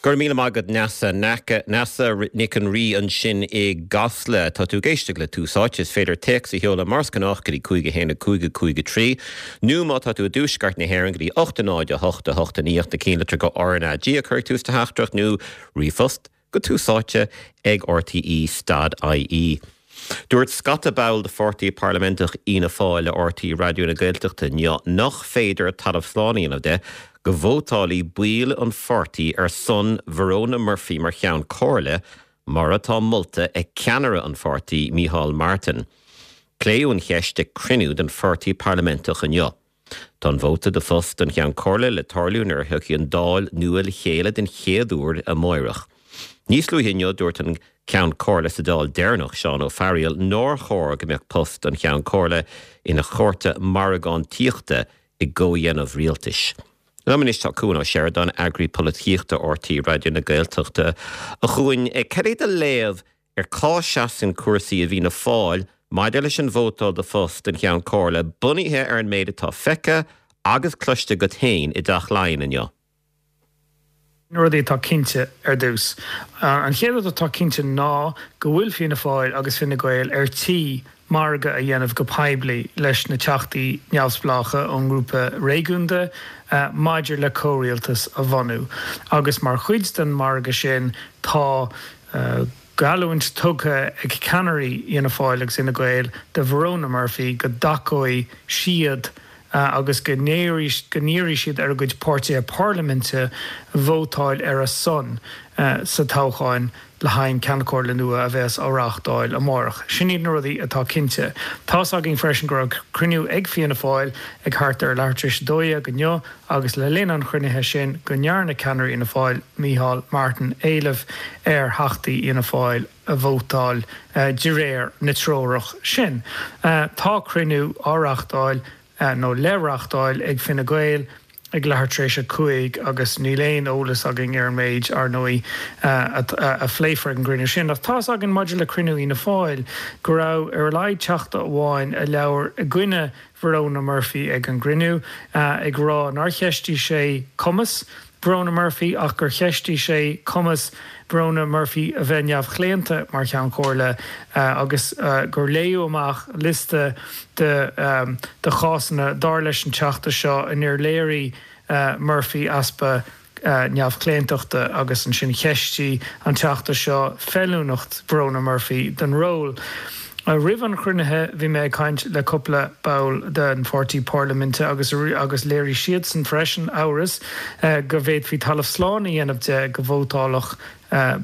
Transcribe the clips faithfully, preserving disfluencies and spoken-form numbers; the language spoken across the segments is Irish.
Go raibh míle maith agat Neasa Neasa Nic an Rí ansin i gCasla tá tú ag éisteacht le Tús Áite is féidir téacs a sheoladh mar is gnách go dtí cúig a haon a cúig a cúig a trí, nó má tá tú i dtuaisceart na hÉireann go dtí ocht a náid a hocht a hocht a naoi na cinnlitreacha RnaG a chur ag tús do theachtaireacht nó ríomhphost go tús áite ag RTE stad IE. Dúirt scata ball de pháirtí parlaiminteach Fhianna Fáil le RTÉ Raidió na Gaeltachta inniu nach féidir talamh slán a dhéanamh de go vótálfaidh baill an pháirtí ar son Verona Murphy mar cheann comhairle mar atá molta ag ceannaire an pháirtí Micheál Martin. Pléadh an cheist ag cruinniú den pháirtí parlaiminteach inniu. Tá an vóta do phost an cheann comhairle le tarlú nuair a thiocfaidh an Dáil nua le chéile den chéad uair amárach. Níos luaithe inniu dúirt an ceann comhairle sa Dáil deireanach Seán Ó Fearghaíl nár chóir go mbeadh post an cheann comhairle ina chárta margántaíochta i gcomhdhéanamh rialtais. Liom anois tá Cuan Ó Seireadáin eagraí polaitíochta RTÉ Raidió na Gaeltachta a Chuain cad é do léamh ar cá seasann cúrsaí i bhFianna Fáil maidir leis an vótáil do phost an cheann comhairle bunaithe ar an méid atá feicthe agus cloiste agat féin i dTeach Laighean inniu. Na rudaí atá cinnte ar dtús. An chéad rud atá cinnte ná go bhfuil Fianna Fáil agus Fine Gael ar tí margadh a dhéanamh go poiblí leis na teachtaí neamhspleácha ón ngrúpa réigiúnda maidir le comhrialtas a bhunú. Agus mar chuid den margadh sin tá geallúint tugtha ag ceannairí Fhianna Fáil agus Fhine Gael do Verona Murphy go dtacóidh siad agus go n-iarrfaidh siad ar a gcuid páirtithe parlaiminte vótáil ar a son sa toghchán le haghaidh an Ceann Comhairle nua a bheas á reáchtáil amárach. Sin iad na rudaí atá cinnte. Tá's againn freisin go raibh cruinniú ag Fianna Fáil ag thart ar leathuair tar éis a dó dhéag inniu agus le linn an chruinnithe sin go ndearna ceannaire Fhianna Fáil Micheál Martin éileamh ar theachtaí Fhianna Fáil a vótáil de réir na treorach sin. Tá cruinniú á reáchtáil nó le reáchtáil ag Fine Gael ag leathuair tar éis a cúig agus níl aon eolas againn ar an méid ar ndóigh a phléifear ag an gcruinniú sin. Ach tá's againn maidir le cruinniú Fhianna Fáil go raibh ar a laghad teachta amháin a labhair i gcoinne Verona Murphy ag an gcruinniú ag rá nár cheistigh sé cumas Verona Murphy ach gur cheistigh sé cumas Verona Murphy a bheith neamhchlaonta mar cheann comhairle agus gur léadh amach liosta de de chásanna dar leis an teachta seo inar léirigh Murphy easpa neamhchlaontachta agus ansin cheistigh an teachta seo feiliúnacht Verona Murphy don ról. Roimh an chruinnithe bhí mé ag caint le cúpla ball den pháirtí parlaiminte agus agus léirigh siadsan freisin amhras go bhféadfaí talamh slán a dhéanamh de go vótálfadh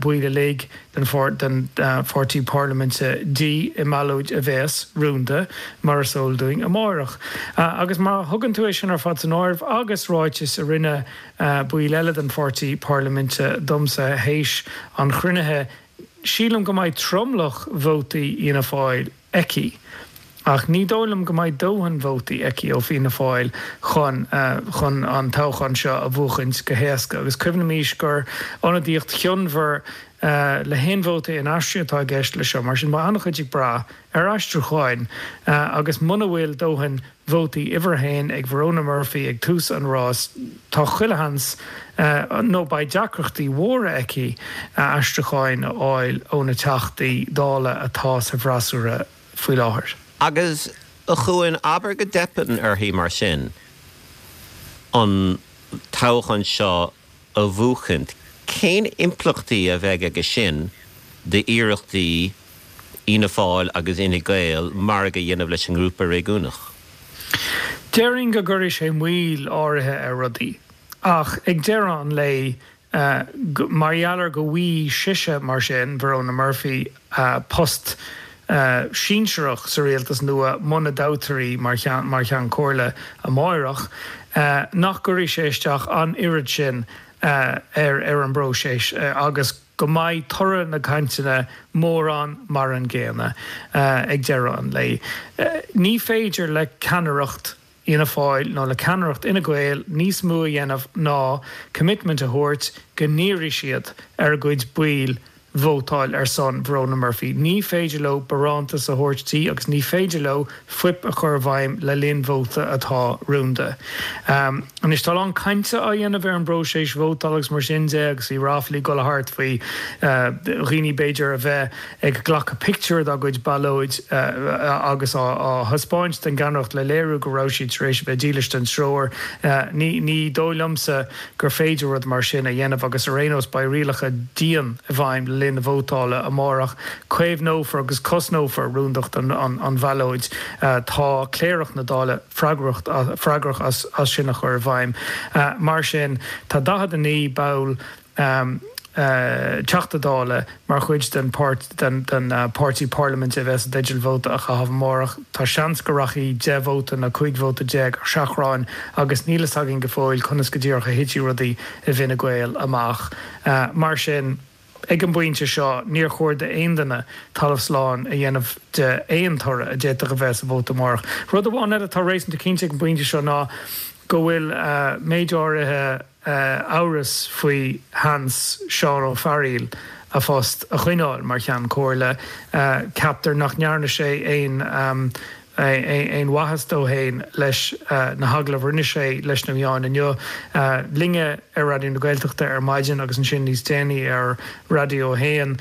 baill uilig den den pháirtí parlaiminte di i mballóid a bheas rúnda mar is eol dúinn amárach. Agus má thugann tú é sin ar fad san áireamh agus ráitis a rinne baill eile den pháirtí parlaiminte domsa théis an chruinnithe, sílim go mbeidh tromlach vótaí Fhianna Fáil aici. Ach ní dóigh liom go mbeidh dóthain vótaí aici ó Fianna Fáil chun chun an toghchán seo a bhuachaint go héasca. Agus cuimhnímis gur ionadaíocht chionmhar le haon vóta inaistrithe atá i gceist le seo, mar sin beidh an-chuid ag brath ar aistriúcháin agus muna bhfuil dóthain vótaí uimhir a haon ag Verona Murphy ag tús an rás, tá chuile sheans nó beidh deacrachtaí mhóra aici aistriúcháin a fháil ó na teachtaí Dála atá sa bhfreasúra faoi láthair. Agus a Chuain, abair go dteipeann uirthi mar sin an toghchán seo a bhuachaint, cén impleachtaí a bheidh aige sin d'iarrachtaí Fhianna Fáil agus Fhine Gael margadh a dhéanamh leis an ngrúpa réigiúnach? Déarfainn go gcuirfidh sé moill áirithe ar rudaí, ach ag deireadh an lae, mar gheall ar go bhfaighidh sise, mar sin, Verona Murphy, post sinsearach sa rialtas nua muna dtoghtar í mar Cheann Comhairle amáireach, nach gcuirfidh sé isteach an oiread sin ar ar an bpróiseas agus go mbeidh toradh na gcainteanna mórán mar an gcéanna ag deireadh an lae. Ní féidir le ceannaireacht Fhianna Fáil nó le ceannaireacht Fhine Gael níos mó a dhéanamh ná commitment a thabhairt go n-iarrfaidh siad ar a gcuid baill vótáil ar son Verona Murphy. Ní féidir leo barántas a thabhairt di agus ní féidir leo fuip a chur i bhfeidhm le linn vóta atá rúnda. Anois tá a lán cainte á dhéanamh ar an bpróiseas vótála agus mar sin de agus bhí ráflaí ag dul thart faoi dhaoine b'fhéidir a bheith ag glacadh pictiúr dá gcuid ballóid agus á thaispeáint don gceannaireacht le léiriú go raibh siad tar éis a bheith dílis don treoir. Ní dóigh liomsa gur féidir rud mar sin a dhéanamh agus ar aon nós beidh rialacha dian i bhfeidhm le linn na vótála amárach. Caomhnófar agus cosnófar rúndacht an bhallóid. Tá Cléireach na Dála freagrach as sin a chur i bhfeidhm. Mar sin, tá daichead a naoi ball Teachta Dála mar chuid den páirtí parlaiminte a bheas i dteideal vóta a chaitheamh amárach. Tá seans go rachaidh deich vóta nó cúig vóta déag ar seachrán agus níl fhios againn go fóill conas go díreach a thitfidh rudaí i bhFine Gael amach. Mar sin, ag an bpointe seo, níor chóir d'aon duine talamh slán a dhéanamh de aon toradh a d'fhéadfadh a bheith sa vóta amárach. Rud amháin eile atá réasúnta cinnte ag an bpointe seo ná go bhfuil méid áirithe amhras faoi sheans Seán Ó Fearghaíl a phost a choinneáil mar Cheann Comhairle. Ceaptar nach ndearna sé aon aon mhaitheas dó féin leis na hagallaimh a rinne sé leis na meáin inniu. Linne ar Raidió na Gaeltachta ar maidin agus ansin níos déanaí ar Raidió a hAon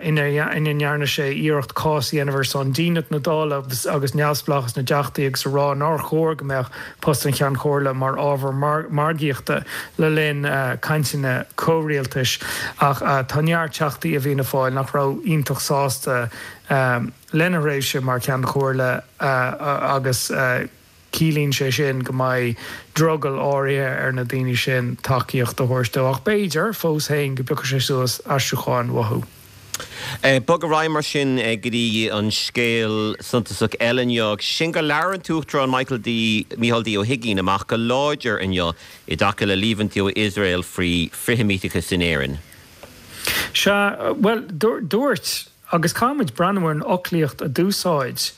ina ndearna sé iarracht cás a dhéanamh ar son dínit na Dála agus neamhspleáchas na dTeachtaí agus a rá nár chóir go mbeadh post an Cheann Comhairle mar ábhar margaíochta le linn cainteanna comhrialtais. Ach tá neart Teachtaí i bhFianna Fáil nach raibh iontach sásta lena thréimhse mar Cheann Comhairle agus ciallaíonn sé sin go mbeidh drogall áirithe ar na daoine sin tacaíocht a thabhairt dó ach b'fhéidir fós féin go bpiocfaidh sé suas aistriúcháin uathu. Bog ar aghaidh mar sin go dtí an scéal suntasach eile inniu, sin gur labhair an tUachtarán Michael D. Micheál D. Ó hUigínn amach go láidir inniu i dtaca le líomhaintí ó Iosrael faoi frithsheimíteachas in Éirinn. Sea, bhuel, dúirt, agus caithfidh muid breathnú ar an fhoclaíocht a d'úsáid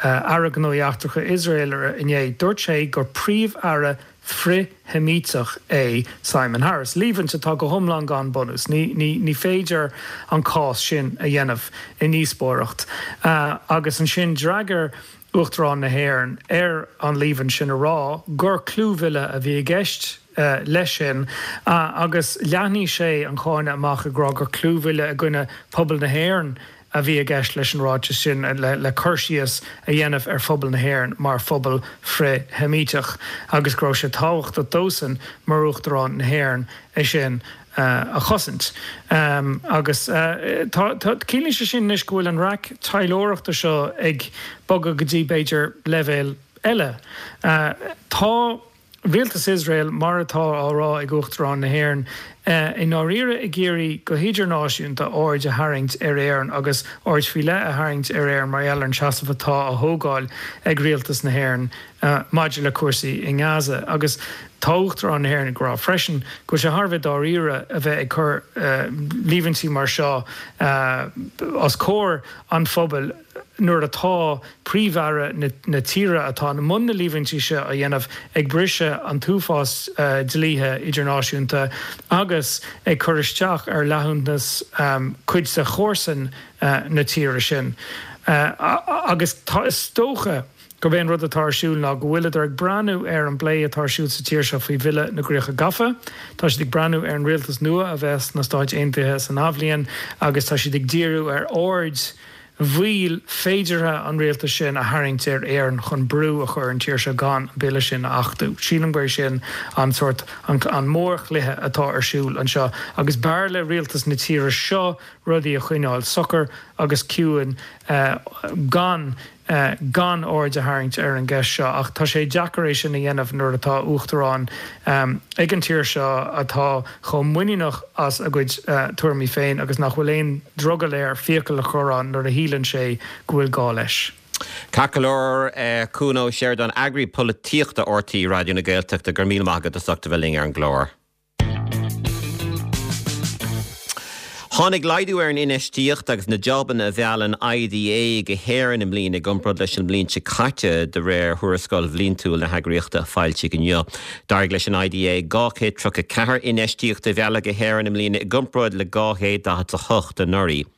Aire Gnóthaí Eachtracha Iosrael inné. Dúirt sé gur príomh-aire frith-Sheimíteach é Simon Harris, líomhaint atá go hiomlán gan bunús. Ní féidir an cás sin a dhéanamh i ndíospóireacht. Agus ansin d'fhreagair Uachtarán na hÉireann ar an líomhaint sin a rá gur clúmhilleadh a bhí i gceist leis sin agus leathnaigh sé an cáineadh amach ag rá gur clúmhilleadh i gcoinne pobal na hÉireann a bhí i gceist leis an ráiteas sin le cur síos a dhéanamh ar phobal na hÉireann mar phobal frith-Sheimíteach agus go raibh sé tábhachtach dósan mar Uachtarán na hÉireann é sin a chosaint. Agus tá, ciallaíonn sé sin anois go bhfuil an raic taidhleoireachta seo ag bogadh go dtí b'fhéidir leibhéal eile. Tá rialtas Iosrael, mar atá á rá ag Uachtarán na hÉireann, i ndáiríre ag iarraidh go hidirnáisiúnta aird a tharraingt ar Éirinn agus aird faoi leith a tharraingt ar Éirinn mar gheall ar an seasamh atá á thógáil ag rialtas na hÉireann maidir le cúrsaí i nGaza. Agus tá Uachtarán na hÉireann ag rá freisin go bhfuil sé thar a bheith dáiríre a bheith ag cur líomhaintí mar seo os comhair an phobail nuair atá Príomh-Aire na tíre atá i mbun na líomhaintí seo a dhéanamh ag briseadh an t-uafás dlíthe idirnáisiúnta agus ag cur isteach ar fhlaithiúnas cuid de chomharsain na tíre sin. Agus tá, is dócha gurb é an rud atá ar siúl ná go bhfuileadar ag breathnú ar an bplé atá ar siúl sa tír seo faoi Bhille na gCríocha Gafa. Tá siad ag breathnú ar an rialtas nua a bheas sna Stáit Aontaithe san athbhliain agus tá siad ag díriú ar aird mhoill féideartha an rialtais sin a tharraingt ar Éirinn chun brú a chur ar an tír seo gan an bille sin a achtú. Sílim gurb é sin an sórt, an mórchluiche atá ar siúl anseo agus b'fhearr le rialtas na tíre seo rudaí a choinneáil socair agus ciúin gan gan aird a tharraingt ar an gceist seo ach tá sé deacair é sin a dhéanamh nuair atá uachtarán ag an tír seo atá chomh muiníneach as a gcuid tuairimí féin agus nach bhfuil aon drogall air fiacail a chur ann nuair a shíleann sé go bhfuil gá leis. Ceart go leor, Cuan Ó Seireadáin, Eagraí Polaitíochta RTÉ Raidió na Gaeltachta, go raibh míle maith agat as ucht a bheith linn ar an gclár. Tháinig laghdú ar an infheistíocht agus na jabanna a mheall an IDA go hÉirinn i mbliana i gcomparáid leis an mbliain seo caite de réir thuarascáil bhliantúil na heagraíochta a foilsíodh inniu. D'éirigh leis an IDA dhá chéad tríocha ceathair infheistíocht a mhealladh go hÉirinn i mbliana i gcomparáid le dhá chéad daichead a hocht anuraidh.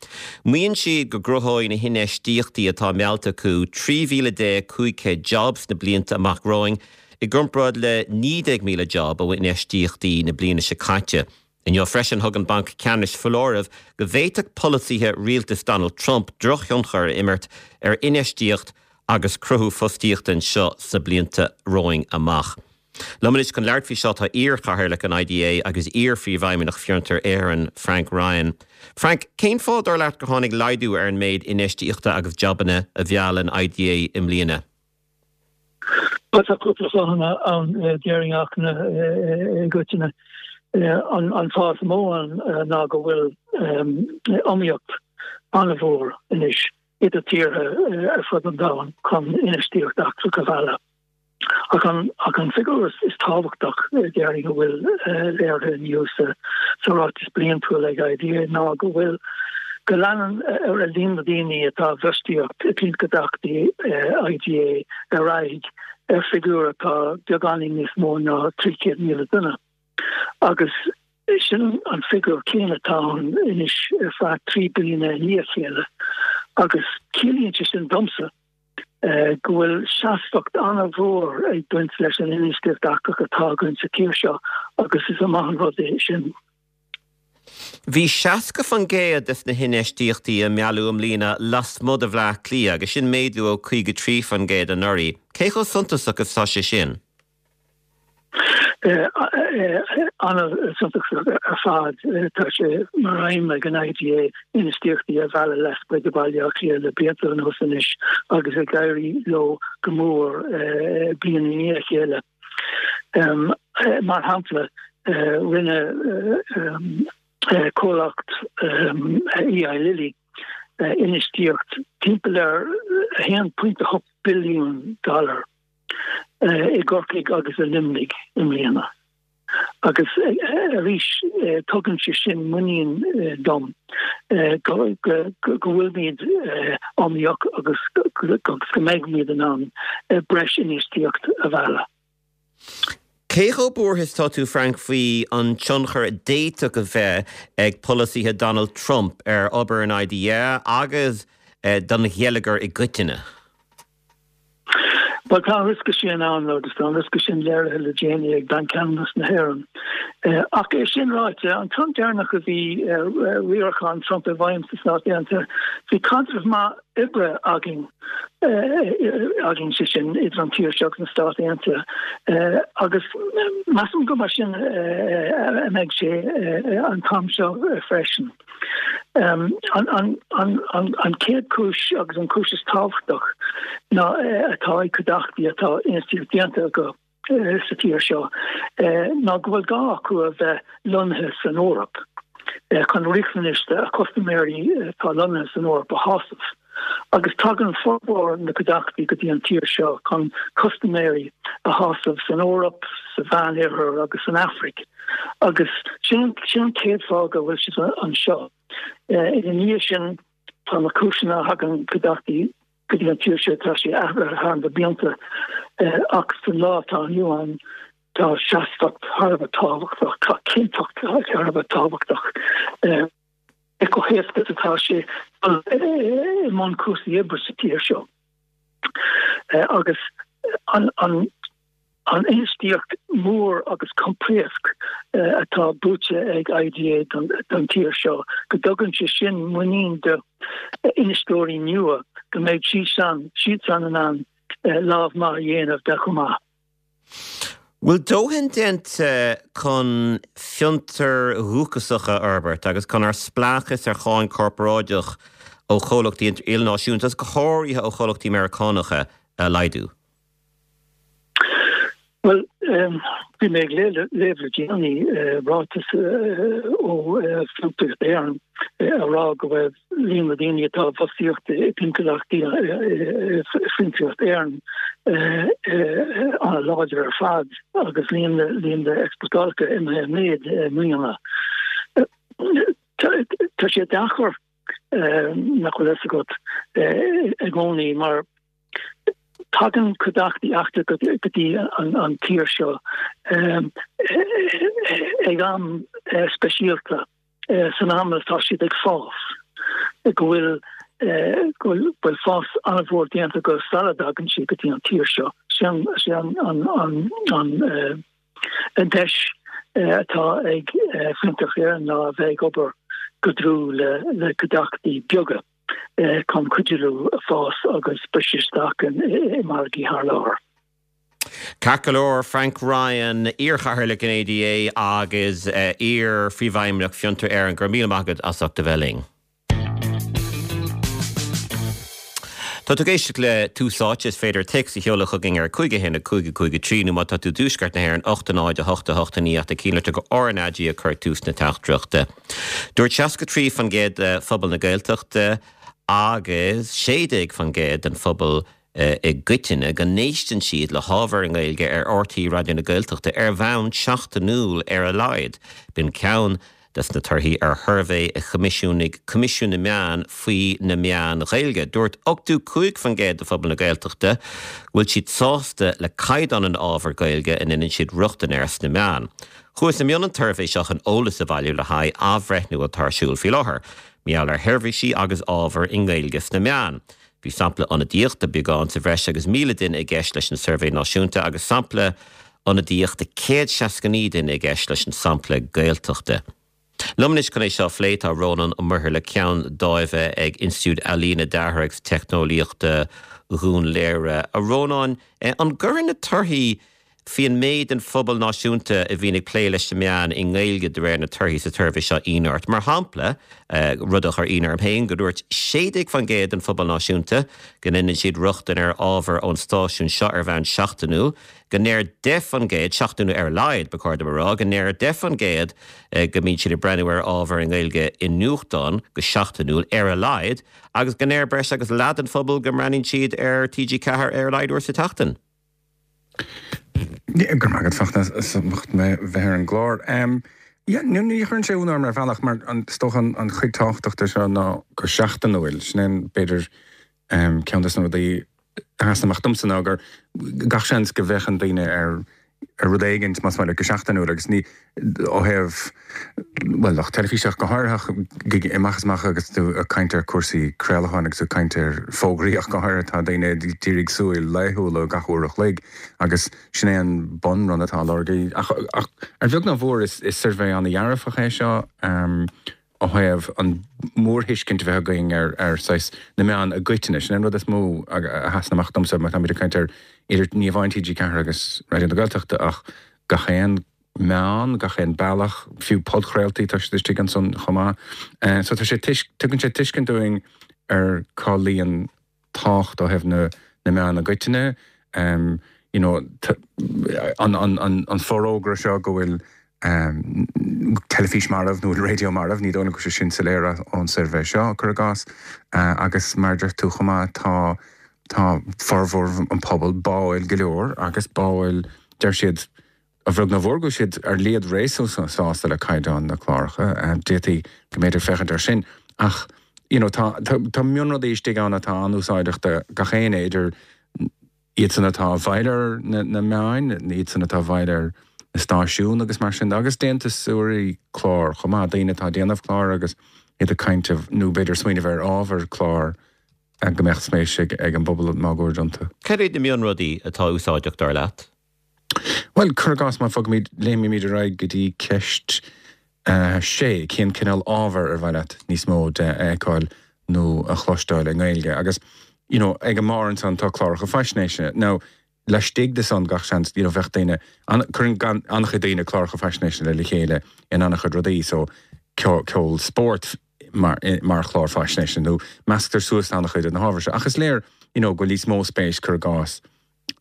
Maíonn siad go gcruthóidh na hinfheistíochtaí atá meallta acu trí mhíle déag cúig chéad job sna blianta amach romhainn i gcomparáid le naoi déag míle job ó infheistíochtaí na bliana seo caite. Inniu freisin thug an Banc Ceannais foláireamh go bhféadfadh polasaithe rialtas Donald Trump drochthionchar a imirt ar infheistíocht agus cruthú fostaíochta anseo sna blianta romhainn amach. Liom anois chun labhairt faoi seo tá iar-chathaoirleach an IDA agus iar-phríomhfheidhmeannach Fiontar Éireann, Frank Ryan. Frank, cén fáth dar leat gur tháinig laghdú ar an méid infheistíochta agus jabanna a mheall an IDA i mbliana? Bhuel tá cúpla fáthanna ann déarfainn ach i gcoitinne. An fáth is mó ann ná go bhfuil iomaíocht an-mhór anois idir tíortha ar fud an domhain chun infheistíocht eachtrach a mhealladh. Ach an ach an figiúr is tábhachtach déarfainn a bhfuil léirithe inniu sa sa ráiteas bliantúil ag IDA ná go bhfuil go leanann ar a líon na daoine atá i bhfostaíocht i gcliantchuideachtaí IDA ar aghaidh ar figiúr atá beagáinín níos mó ná trí chéad míle duine. Agus sin an figiúr céanna atá ann anois ar feadh trí bliana i ndiaidh a chéile agus ciallaíonn sé sin domsa go bhfuil seasmhacht an-mhór ag baint leis an infheistíocht eachtrach atá againn sa tír seo agus is maith an rud é sin. Bhí seasca faoin gcéad des na hinfheistíochtaí a mealladh i mbliana lasmuigh de Bhleá Cliath agus sin méadú ó caoga trí faoin gcéad anuraidh. Cé chomh suntasach is atá sé sin? An-suntasach ar fad. Tá sé mar aidhm ag an IDA infheistíochtaí a mhealladh lasmuigh de Bhaile Átha Cliath le blianta anuas anois agus ag éirí leo go mór bliain i ndiaidh a chéile. Mar shampla, rinne comhlacht Eli Lilly infheistíocht timpeall ar a haon pointe a hocht billiún dollar i gCorcaigh agus i Luimnigh i mbliana. Agus arís tugann sé sin muinín dom go bhfuilimid iomaíoch agus go mbeimid in ann breis infheistíocht a mhealladh. Cé chomh buartha is atá tú, Frank, faoi an tionchar a d'fhéadfadh a bheith ag polasaithe Donald Trump ar obair an IDA agus don gheilleagar i gcoitinne? Bhuel, tá an riosca sin ann agus tá an riosca sin léirithe le déanaí ag Banc Ceannais na hÉireann. Ach é sin ráite, an t-am deireanach a bhí riarachán Trump i bhfeidhm sna Stáit Aontaithe, bhí caidreamh maith oibre againn, againn, sé sin, idir an tír seo agus na Stáit Aontaithe. Agus measaim go mar sin a mbeidh sé an t-am seo freisin. An chéad chúis agus an chúis is tábhachtach ná atá ag cuideachtaí atá infheistíocht déanta acu sa tír seo ná go bhfuil gá acu a bheith lonnaithe san Eoraip chun riachtanais a custaiméirí atá lonnaithe san Eoraip a shásamh. Agus tagann formhór na cuideachtaí go dtí an tír seo chun custaiméirí a shásamh san Eoraip, sa Mheánoirthear agus san Afraic. Agus sin sin an chéad fáth go bhfuil siad anseo. Ina dhiaidh sin, tá na cúiseanna a thagann cuideachtaí go dtí an tír seo, tá sé athraithe thar na blianta ach san lá atá inniu ann, tá seasmhacht thar a bheith tábhachtach, tá cinnteacht thar a bheith tábhachtach. Cé chomh héasca is atá sé dul i mbun cúrsaí oibre sa tír seo agus an infheistíocht mhór agus coimpléasc atá buaite ag IDA don tír seo, go dtugann sé sin muinín d'infheisteoirí nua go mbeidh siadsan in ann lámh maith a dhéanamh de chomh maith. Bhfuil dóthain déanta chun fiontair dhúchasacha a fhorbairt agus chun ár spleáchas ar cháin chorparáideach ó chomhlachtaí ilnáisiúnta, agus go háirithe ó chomhlachtaí Meiriceánacha, a laghdú? Bhuel, bhí mé ag léamh le déanaí ráiteas ó Fiontraíocht Éireann a rá go raibh líon na ndaoine atá i bhfostaíocht i gcliantchuideachtaí Fiontraíocht Éireann an-láidir ar fad agus líon líon na exportálacha imithe i méad i mbliana. Tá sé deacair nach bhfuil fhios agat i gcónaí mar tagann cuideachtaí eachtracha go dtí an tír seo ag am speisialta san am atá siad ag fás, go bhfuil go bhfuil fás an-mhór déanta acu sula dtagann siad go dtí an tír seo. Sin an an deis atá ag Fiontar Éireann ná a bheith ag obair go dlúth le le cuideachtaí beaga chun cuidiú leo fás agus briseadh isteach i margaí thar lear. Ceart go leor, Frank Ryan, iar-chathaoirleach an ADA agus iar-phríomhfheidhmeannach Fiontar Éireann, go raibh míle maith agat as ucht a bheith linn. Tá tú ag éisteacht le Tús Áite, is féidir téacs a sheoladh chugainn ar cúig a haon a cúig a cúig a trí nó má tá tú i dtuaisceart na hÉireann ocht a náid a hocht a hocht a naoi ach déan cinnte gur RnaG a chuir tús na teachtaireachta. Dúirt seasca trí faoin gcéad de phobal na Gaeltachta agus sé déag faoin gcéad den phobal i gcoitinne go n-éisteann siad le hábhar i nGaeilge ar RTÉ Raidió na Gaeltachta ar bhonn seachtainiúil ar a laghad. B'in ceann des na torthaí ar shuirbhé a choimisiúnaigh Coimisiún na Meán faoi na meáin Ghaeilge. Dúirt ochtó cúig faoin gcéad de phobal na Gaeltachta go bhfuil siad sásta le caighdeán an ábhair Gaeilge a ndéanann siad rochtain air sna meáin. Chuathas i mbun an tsuirbhé seo chun eolas a bhailiú le haghaidh athbhreithniú atá ar siúl faoi láthair mar gheall ar sheirbhísí agus ábhar i nGaeilge sna meáin. Bhí sampla ionadaíoch de beagán sa bhreis agus míle duine i gceist leis an suirbhé náisiúnta agus sampla ionadaíoch de céad seasca naoi duine i gceist leis an sampla Gaeltachta. Liom anois chun é seo a phlé tá Rónán Ó Muirthile, Ceann Dáimhe ag Institiúid Ealaíne, Deartha agus Teicneolaíochta Dhún Léire. A Rónáin, an gcuireann na torthaí faoin méid den phobal náisiúnta a bhíonn ag plé leis na meáin i nGaeilge de réir na torthaí sa tsuirbhé seo ionadh ort? Mar shampla, rud a chuir ionadh orm féin, go ndúirt sé déag faoin gcéad den phobal náisiúnta go ndéanann siad rochtain ar ábhar ón stáisiún seo ar bhonn seachtainiúil, go ndeir deich faoin gcéad, seachtainiúil ar a laghad, ba chóir dom a rá, go ndeir deich faoin gcéad go mbíonn siad ag breathnú ar ábhar i nGaeilge i nuachtán go seachtainiúil ar a laghad, agus go ndeir breis agus leath den phobal go mbreathnaíonn siad ar T G ceathair ar a laghad uair sa tseachtain. Go raibh maith agat, Fachtna, as ucht mé bheith ar an gclár. Yeah, ní chuireann sé ionadh orm ar bhealach, mar is dócha an chuid tábhachtach de seo ná go seachtainiúil. Sin é, b'fhéidir, ceann de na rudaí a sheasann amach domsa ná gur gach seans go bhféachann daoine ar ar rud éigin, más maith leat, go seachtainiúil agus ní ó thaobh, bhuel, lucht teilifíse ach go háirithe, ach amach is amach agus tú ag caint ar chúrsaí craolacháin agus tú ag caint ar fógraí ach go háirithe, tá daoine ag d'iarraidh súil laethúil ó gach uair a chloig agus sin é an bunrud atá á lorg. Ach ar bheag nó ar mhór is suirbhé an-dhearfach é seo ó thaobh an mhórthuiscint a bheith againn ar ar saghas na meáin i gcoitinne. Sin é an rud is mó a sheasann amach domsa má táimid ag caint ar idir ní amháin T G ceathair agus Raidió na Gaeltachta ach gach aon meán, gach aon bealach, fiú podchraoltaí, tá siad istigh ansan chomh maith. So tá sé, tugann sé tuiscint dúinn ar cá luíonn tábhacht ó thaobh na na meán i gcoitinne. You know, an, an, an, an forógra seo go bhfuil teilifís marbh nó raidió marbh, ní dóigh liom go bhfuil sé sin soiléir ón suirbhé seo, cuir i gcás. Agus mar a deir tú chomh maith, tá tá formhór an pobail báúil go leor agus báúil, deir siad, a bheag nó a mhór go bhfuil siad ar leithead réasúnta sásta le caighdeán na cláracha. D'fhéadfaí go mb'fhéidir féachaint air sin ach you know tá tá mionrudaí istigh ann atá an-úsáideach do gach éinne, idir iadsan atá i bhfeighil ar na meáin, iadsan atá i bhfeighil ar na stáisiúin agus mar sin de, agus déantúsóirí clár chomh maith, daoine atá ag déanamh clár agus iad ag caint nó b'fhéidir smaoineamh ar ábhar clár go mbeadh spéis ag an bpobal máguaird iontu. Cad iad na mionrudaí atá úsáideach dar leat? Bhuel, cuir i gcás, má bhogaimid, léimimid ar aghaidh go dtí ceist sé, cén cineál ábhair ar mhaith leat níos mó de a fheiceáil nó a chloisteáil i nGaeilge? Agus, you know, ag an mbarr ansan tá cláracha faisnéise. Now, laistigh de san, gach seans, you know, bheadh daoine, cuireann an-chuid daoine cláracha faisnéise le chéile in an-chuid rudaí, so ceol, spórt mar, mar chlár faisnéise nó measctar suas an-chuid de na hábhair seo. Ach is léir, you know, go bhfuil níos mó spéis, cuir i gcás,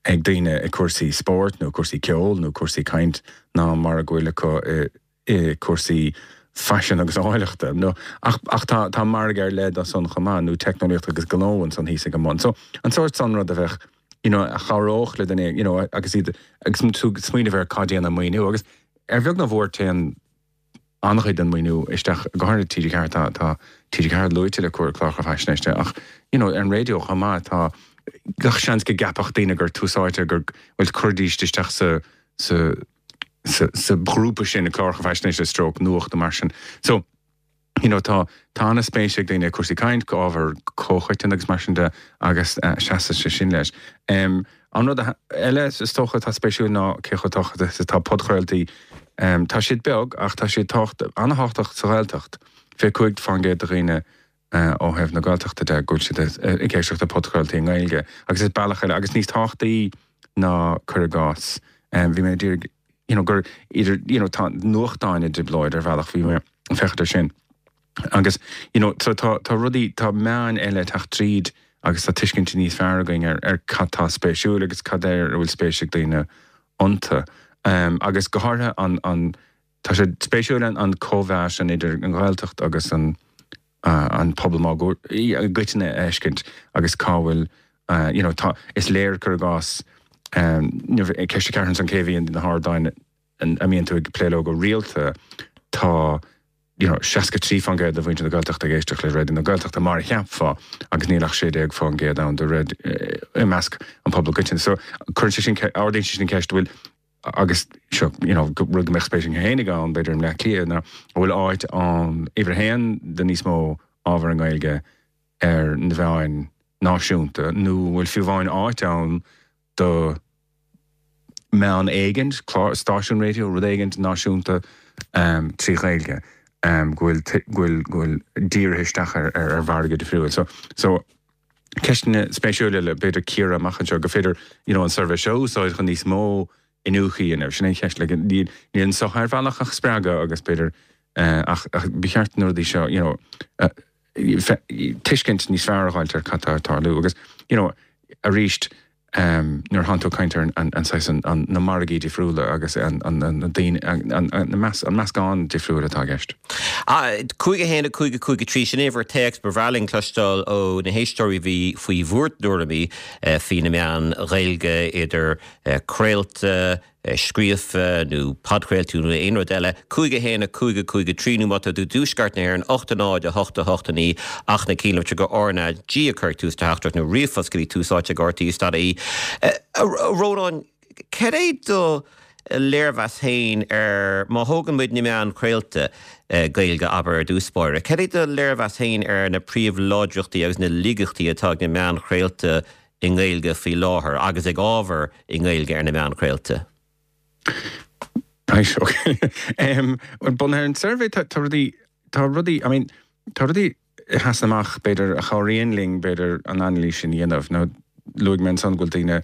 ag daoine i cúrsaí spóirt nó cúrsaí ceoil nó cúrsaí caint ná mar a go bhfuil acu i i cúrsaí faisin agus áilleachta. Nó, ach, ach tá, tá margadh ar leith dó san chomh maith, nó teicneolaíocht agus gnó ansan thíos ag an mbun. So, an sórt san rud a bheadh, you know, a chabhródh le duine, you know, agus iad, agus tú ag smaoineamh ar cad é an maoiniú. Agus ar bheag nó mhór téann an-chuid den mhaoiniú isteach, go háirithe TG Ceathair, tá tá TG Ceathair luaite le cláracha faisnéise ach you know ar an raidió chomh maith tá gach seans go gceapfadh daoine gur tús áite gur bhuel chuirfidís isteach sa sa sa sa ghrúpa sin na cláracha faisnéise stroke nuacht nó mar sin. So you know tá tá an-spéis ag daoine cúrsaí caint, ábhar comhchoiteann agus mar sin de agus uh, seasann sé sin leis. Um, an rud eile is dócha atá spéisiúil ná cé chomh tábhachtach is atá podchraoltaí um, tá siad beag ach tá siad an-tábhachtach sa Ghaeltacht. Fiche cúig faoin gcéad de dhaoine uh, ó thaobh na Gaeltachta de go bhfuil siad ag éisteacht le podchraoltaí i nGaeilge agus is bealach eile agus níos tábhachtaí ná cuir i gcás. Um, bhí mé d'iarraidh you know, gur idir you know, tá nuachtáin i dtrioblóid ar bhealach bhí mé ag féachaint air sin. Agus you know, so tá, tá rudaí tá meáin eile ag teacht tríd agus tá tuiscint níos fearr againn ar, ar cad tá spéisiúil agus cad air a bhfuil spéis ag daoine iontu. Um, agus go háirithe an, an, tá sé spéisiúil an, an cóimheas an idir an Ghaeltacht agus an, uh, an pobal mágur i gcoitinne a fheiscint agus cá bhfuil uh, you know, tá, is léir cuir i gcás um, ceist a ceathair an cé bhíonn na hardáin a mbíonn tú ag plé leo go rialta tá you know, seasca trí faoin gcéad de mhuintir na Gaeltachta ag éisteacht le Raidió na Gaeltachta mar a cheapfá agus níl ach sé déag faoin gcéad ann de réir i measc an pobal coiteann. So cuireann sé sin ardaíonn sé sin ceist bhfuil agus seo you know, rud go mbeadh spéis fhéinig ann b'fhéidir i mBleá Cliath ná an bhfuil áit ann uimhir a haon do níos mó ábhar i nGaeilge ar na mheáin náisiúnta nó bhfuil fiú amháin áit ann do meán éigint, clár, stáisiún raidió, rud éigint náisiúnta um, trí Ghaeilge um, go bhfuil go bhfuil go bhfuil dírithe isteach ar, ar, ar mhargadh difriúil. So, so ceisteanna spéisiúla le b'fhéidir cíoradh amach anseo go féidir you know, an suirbhé seo úsáid chun níos mó iniúchadh a dhéanamh. Sin é cheist le níl níl an soch ar bhealach ach spreagadh agus b'fhéidir uh, ach, ach ba cheart na rudaí seo you know, uh, tuiscint níos fearr a fháilt ar cad tá ag tarlú agus you know, arís um, nuair atánn tú ag caint ar an, an, an, an, na margaí difriúla agus an, an, an, an, an, an, meas, an meascán difriúil atá i gceist. Cúig a haon a cúig a cúig a trí sin uimhir téacs ba bhreá linn cloisteáil ó na héisteoirí bhí faoi bhur dtuairimí faoi na meáin Ghaeilge idir craolta, scríofa nó podchraoltaí nó aon rud eile, cúig a haon a cúig a cúig a trí nó má tá tú i dtuaisceart na hÉireann ocht a náid a hocht a hocht a naoi ach na cinnlitriú go RnaG a chur tús do theachtaireacht nó ríomhphost go dtí tús áite ag RTÉ dot ie. A Rónáin, cad é do léirmheas féin ar má thógann muid na meáin chraolta Gaeilge abair ar dtús báire, cad é do léirmheas féin ar na príomhláidreachtaí agus na laigeachtaí atá ag na meáin chraolta i nGaeilge faoi láthair agus ag ábhar i nGaeilge ar na meáin chraolta? Right, okay. um, well, bunaithe ar an suirbhé tá tá rudaí tá rudaí I mean, tá rudaí a sheasann amach b'fhéidir a chabhraíonn linn b'fhéidir an anailís sin a dhéanamh nó luaigh mé ansan go bhfuil daoine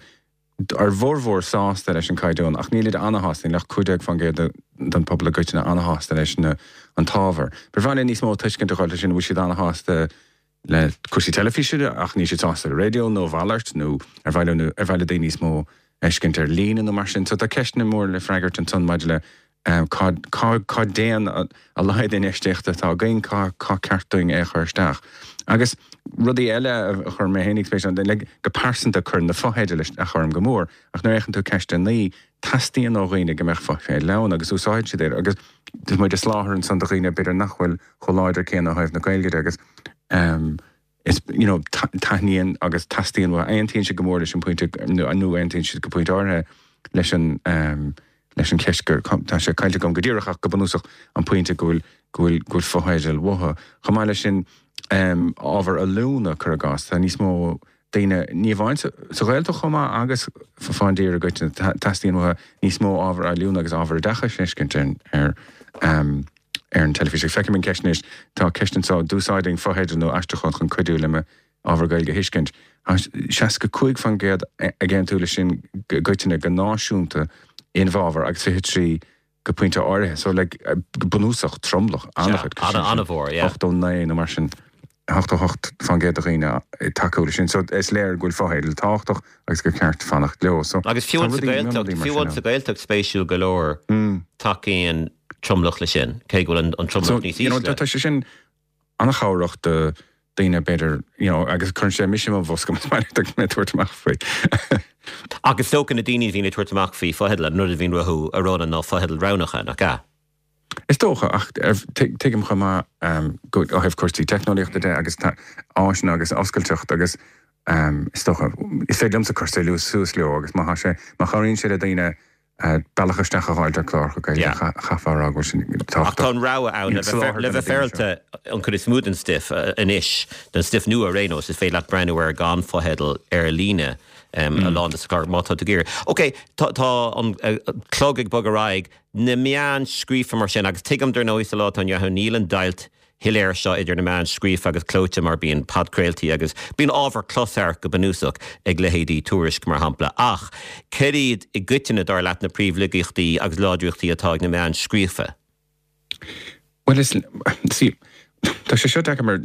ar mhórmhór sásta leis an caighdeán ach níl siad ana-shásta níl ach cúig déag faoin gcéad den pobal i gcoitinne ana-shásta leis na an t-ábhar. Ba bhreá linn níos mó tuiscint a fháil leis sin bhfuil siad ana-shásta le cúrsaí teilifíse ach níl siad sásta le raidió nó a mhalairt nó ar mhaith leo ar mhaith le daoine níos mó fheiscint ar líne nó mar sin. So tá ceisteanna mór le freagairt ansan maidir le cá cá cá dtéann a laghad infheistíochta atá againn, cá cá ceart dúinn é a chur isteach. Agus rudaí eile a chuir mé féinig spéis ann, like, go pearsanta cuireann na fotheidil isteach orm go mór, ach nuair a fhéachann tú ceist a naoi, teastaíonn ó dhaoine go mbeadh fotheidil ann agus úsáideann siad iad agus tá muid ag soláthar ansan do dhaoine b'fhéidir nach bhfuil chomh láidir céanna ó thaobh na Gaeilge de agus um, is you know, taitníonn agus teastaíonn uathu. Aontaíonn siad go mór leis an pointe nó aontaíonn siad go pointe áirithe leis an um, leis an cheist gur tá sé caillte agam go díreach ach go bunúsach an pointe go bhfuil go bhfuil go bhfuil fotheidil uathu. Chomh maith leis sin um, ábhar oiliúna cuir i gcás, tá níos mó daoine ní amháin sa Ghaeltacht chomh maith agus fán dtír i gcoitinne teastaíonn uathu níos mó ábhar oiliúna agus ábhar oideachais a fheiscint ar um, ar an teilifís. Feicim an ceist anois, tá ceist anseo, d'úsáidfinn fotheidil nó aistriúchán chun cuidiú le m'ábhar Gaeilge a thuiscint. Tá seasca cúig faoin gcéad ag aontú leis sin i gcoitinne go náisiúnta i bhfabhar agus fiche trí go pointe áirithe. So like, go bunúsach tromlach an-chuid an-mhór, yeah. ochtó naoi nó mar sin. ochtó hocht faoin gcéad de dhaoine ag tacú leis sin. So is léir go bhfuil fotheidil tábhachtach agus gur ceart fanacht leo. So Agus fiú sa Ghaeltacht, fiú sa Ghaeltacht spéisiúil go leor tacaíonn tromlach leis sin, cé go bhfuil an tromlach níos ísle. Tá sé sin an-chabhrach do daoine b'fhéidir, you know, agus cuireann sé mise i mo bhosca más maith leat mé tabhairt amach faoi. Agus is dócha na daoine a bhíonn ag tabhairt amach faoi fotheidil, an rud a bhíonn uathu a rá ná fotheidil roghnacha, nach ea? Is dócha ach tuigim chomh maith go ó thaobh cúrsaí teicneolaíochta de agus áiseanna agus oscailteacht agus is dócha is féidir liomsa cur suas leo agus má tá sé má chabhraíonn sé le daoine bealach isteach a fháil ar cláracha Gaeilge chaithfeá a rá go bhfuil sin Ach tá an rogha ann le bheith féaráilte an chuid is mó den stuif anois, den stuif nua ar aon nós, is féidir leat breathnú air gan fotheidil ar líne a lán de na cláir má tá tú ag iarraidh. Ok, tá an clog ag bogadh ar aghaidh, na meáin scríofa mar sin, agus tuigim dar ndóigh sa lá atá inniu ann níl an deighilt shoiléir seo idir na meáin scríofa agus clóite mar bíonn podchraoltaí agus bíonn ábhar closamhairc go bunúsach ag leithéidí Tuairisc mar shampla. Ach céard iad i gcoitinne dar leat na príomhlaigeachtaí agus láidreachtaí atá ag na meáin scríofa? Bhuel is, see, tá sé seo deacair mar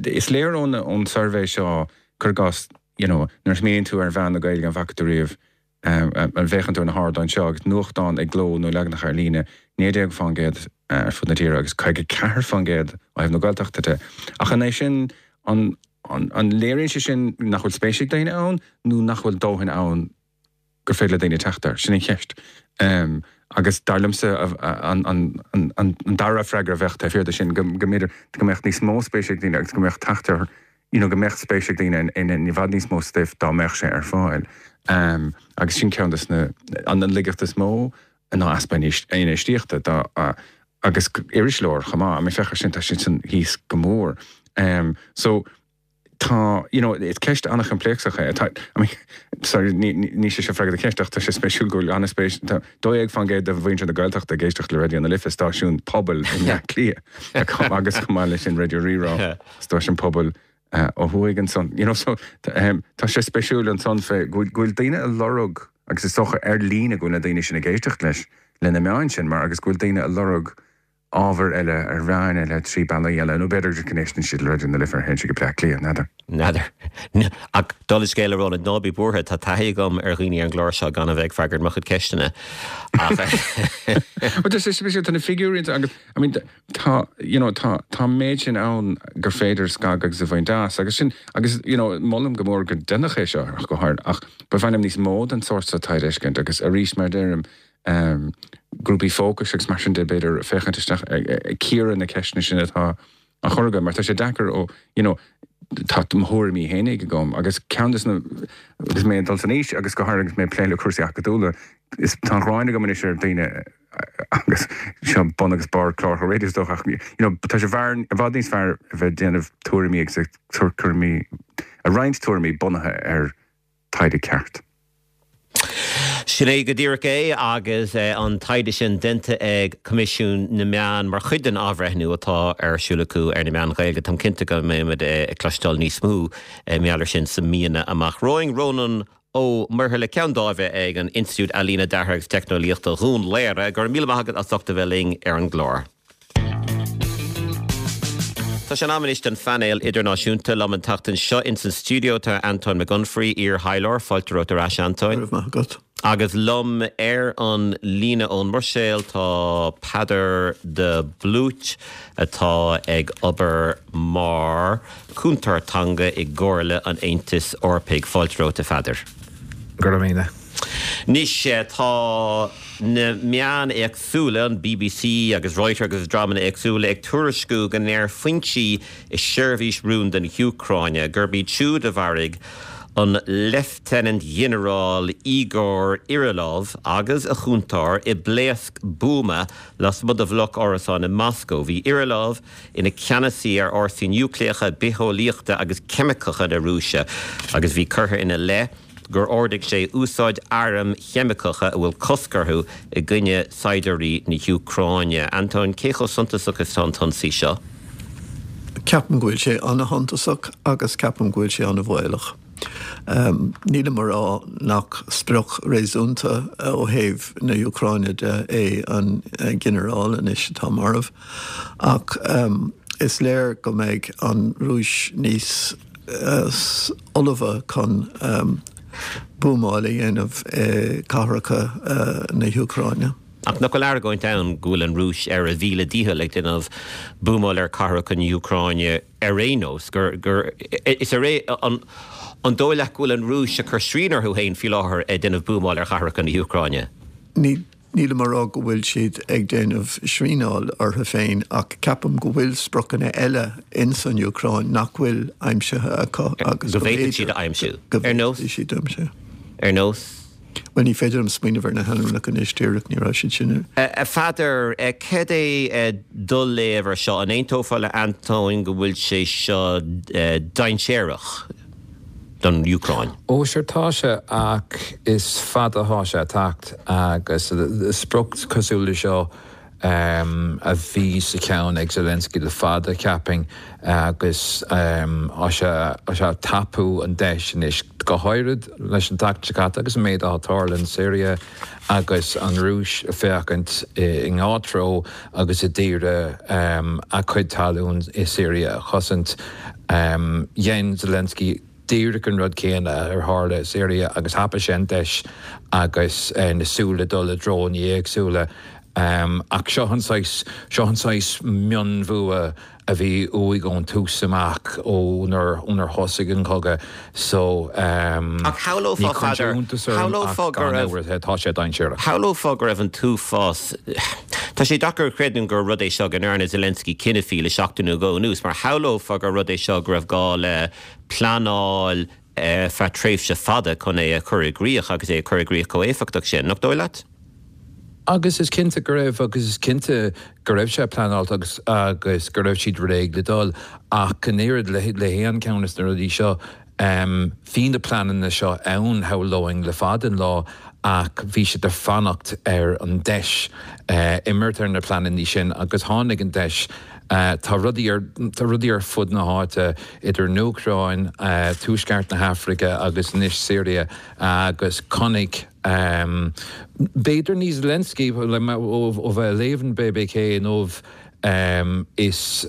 is léir ón ón suirbhé seo cuir i gcás, you know, nuair a smaoiníonn tú ar mheáin na Gaeilge an bhfaca tú riamh an bhféachann tú ar na hardáin seo agus nuachtán i gcló nó leaganacha ar líne, naoi déag fán gcéad ar fud na tíre agus caoga ceathair fán gcéad ó thaobh na Gaeltachta de. Ach an é sin an an léiríonn sé sin nach bhfuil spéis ag daoine ann nó nach bhfuil dóthain ann gur féidir le daoine teacht air? Sin an cheist. Agus dar liomsa an dara freagra a bheadh taobh thiar de sin, go mb'fhéidir go mbeadh níos mó spéise ag daoine agus go mbeadh teacht ar, you know, go mbeadh spéis ag daoine in i bhfad níos mó stuif dá mbeadh sé ar fáil. Agus sin ceann de na, an laigeacht is mó ná easpa infheistíochta dá agus iriseoir chomh maith. I mean féach air sin, tá sin san thíos go mór. So, Tá, you know, is ceist an-choimpléacsach é. Tá, I mean, sorry, ní, ní sé seo freagra do cheist ach tá sé spéisiúil go bhfuil an-spéis, tá dó dhéag fán gcéad de mhuintir na Gaeltachta ag éisteacht le Raidió na Life, stáisiún pobail i mBleá Cliath, agus chomh maith leis sin Raidió Rí-Rá, stáisiún pobail ó thuaidh ansan. You know, so, tá sé spéisiúil ansan fé go bhfuil, go bhfuil daoine ag lorg, agus is dócha ar líne go bhfuil na daoine sin ag éisteacht leis, le na meáin sin, mar agus go bhfuil daoine ag lorg ábhar eile ar mheáin eile trí bealaí eile, nó b'fhéidir go n-éisteann siad le Raidió na Life ar théann siad go Bleá Cliath, n'fheadar. N'fheadar. Ach dála an scéil, a Ronan, ná bí buartha, tá taithí agam ar dhaoine ar an gclár seo gan a bheith ag freagairt mo chuid ceisteanna. Ach. Bhuel, tá sé spéisiúil, tá na figiúirí ansan agus, I mean, tá, you know, tá, tá an méid sin ann gur féidir scagadh agus a bhaint as agus sin, agus, you know, molaim go mór go ndéanfadh é seo ach go háirithe, ach ba mhaith liom níos mó den sórt seo taighde a fheiscint agus arís, mar a deirim, grúpaí fócais agus mar sin de, b'fhéidir, féachaint isteach ag cíoradh na ceisteanna sin atá á chur agam, mar tá sé deacair ó, you know, tá mo thuairimí fhéinig agam agus ceann de na, agus mé ag dul san aois agus go háirithe agus mé ag plé le cúrsaí acadúla, is tá an ghráin agam anois ar daoine agus seo bun agus barr cláracha raidió is dócha ach, you know, tá sé i bhfad níos fearr a bheith ag déanamh tuairimí agus ag tuairimí, ag roinnt tuairimí bunaithe ar taighde ceart. Sin é go díreach é agus an taighde sin déanta ag Coimisiún na Meán mar chuid den athbhreithniú atá ar siúl acu ar na meáin Ghaeilge. Táim cinnte go mbeimid ag cloisteáil níos mó mar gheall air sin sna míonna amach romhainn. Rónán Ó Muirthile, Ceann Dáimhe ag an Institiúid Ealaíne, Deartha agus Teicneolaíochta, Dhún Laoghaire, go raibh míle maith agat as ucht a bheith linn ar an gclár. Tá sé in am anois don phainéal idirnáisiúnta. Liom an tseachtain seo ins an stiúideo tá Antóin Mac Unfraidh, iar-thaidhleoir. Fáilte romhat ar ais, Antóin. Go raibh maith agat. Agus liom ar an líne ón mBruiséil tá Peadar de Blúit atá ag obair mar chúntóir teanga i gComhairle an Aontais Eorpaigh. Fáilte romhat, a Pheadair. Go raibh míle. Anois tá na meáin éagsúla, an bbc agus Reuters agus dreamanna éagsúla, ag tuairisciú go ndeir foinsí i seirbhís rúnda na hÚcráine gurb iad siúd a mharaigh an Leifteanant-Ghinearál Igor Kirillov agus a chúntóir i bpléasc buama lasmuigh de bhloc árasán i Moscó. Bhí Kirillov ina cheannasaí ar fhórsaí núicléacha, bitheolaíochta agus ceimiceacha na Rúise agus bhí curtha ina leith gur ordaigh sé úsáid airm cheimiceacha a bhfuil cosc orthu i gcoinne saighdiúirí na hÚcráine. Antóin, cé chomh suntasach is atá an t-ionsaí seo? Ceapaim go bhfuil sé ana-shuntasach agus ceapaim go bhfuil sé ana-bhaolach. Nílim ag rá nach sprioc réasúnta ó thaobh na hÚcráine de é an ginearál anois atá marbh ach is léir go mbeidh an Rúis níos ullmhaithe chun buamáil a dhéanamh i gcathracha na hÚcráine. Ach nach bhfuil argóint ann go bhfuil an Rúis ar a mhíle dícheall ag déanamh buamáil ar chathracha na hÚcráine ar aon nós, gur gur is ar an an dóigh leat go bhfuil an Rúis ag cur srian orthu féin faoi láthair ag déanamh buamáil ar chathracha na hÚcráine? Ní Nílim ag rá go bhfuil siad ag déanamh srianáil orthu féin ach ceapaim go bhfuil spriocanna eile ins an Úcráin nach bhfuil aimsithe acu agus go bhféadfaidh siad a aimsiú. Ar nós? Siad a aimsiú. Ar nós? Bhuel, ní féidir liom smaoineamh ar na hainmneacha anois díreach, ní raibh siad sin. A Pheadair, cad é do léamh ar seo? An aontófá le Antóin go bhfuil sé seo dainséarach don Úcráin? Ó sure tá sé ach is fada atá sé ag teacht agus sprioc cosúil le seo a bhí sa cheann ag Zelensky le fada, cheapfainn, agus tá sé ag tapú an deis anois, go háirid leis an tseachtain seo caite agus an méid atá ag tarlú in Syria agus an Rúis ag féachaint i ngach treo agus ag iarraidh a cuid talún i Syria a chosaint. Dhein Zelensky díreach an rud céanna ar tharla i Syria agus thapaigh sé an deis agus na súile ag dul i dtreonna éagsúla. Ach seo an saghas, seo an saghas mionbhua a bhí uaidh ón tús amach, ónar, ónar thosaigh an cogadh. So, Ach ní chuireann sé iontas orm ach gan amhras tá sé dainséarach. Shamhlófá go raibh an t-uafás, tá sé deacair a chreidiúint gur rud é seo go ndearna Zelensky cinneadh faoi le seachtain nó dhó anuas, mar shamhlófá gur rud é seo go raibh gá le pleanáil feadh tréimhse fada chun é a chur i gcrích agus é a chur i gcrích chomh héifeachtach sin, nach dóigh leat? Agus is cinnte go raibh, agus is cinnte go raibh sé pleanáilte agus agus go raibh siad réidh le dul ach an oiread le le haon cheann de na rudaí seo, bhí na pleananna seo ann, shamhlóinn, le fada an lá ach bhí siad ag fanacht ar an deis imirt ar na pleananna sin agus tháinig an deis. Tá rudaí ar tá rudaí ar fud na háite idir an Úcráin, Tuaisceart na hAfraice agus anois Siria agus chonaic B'fhéidir ní Zelensky, ó bheith ag léamh an B B K inniu, is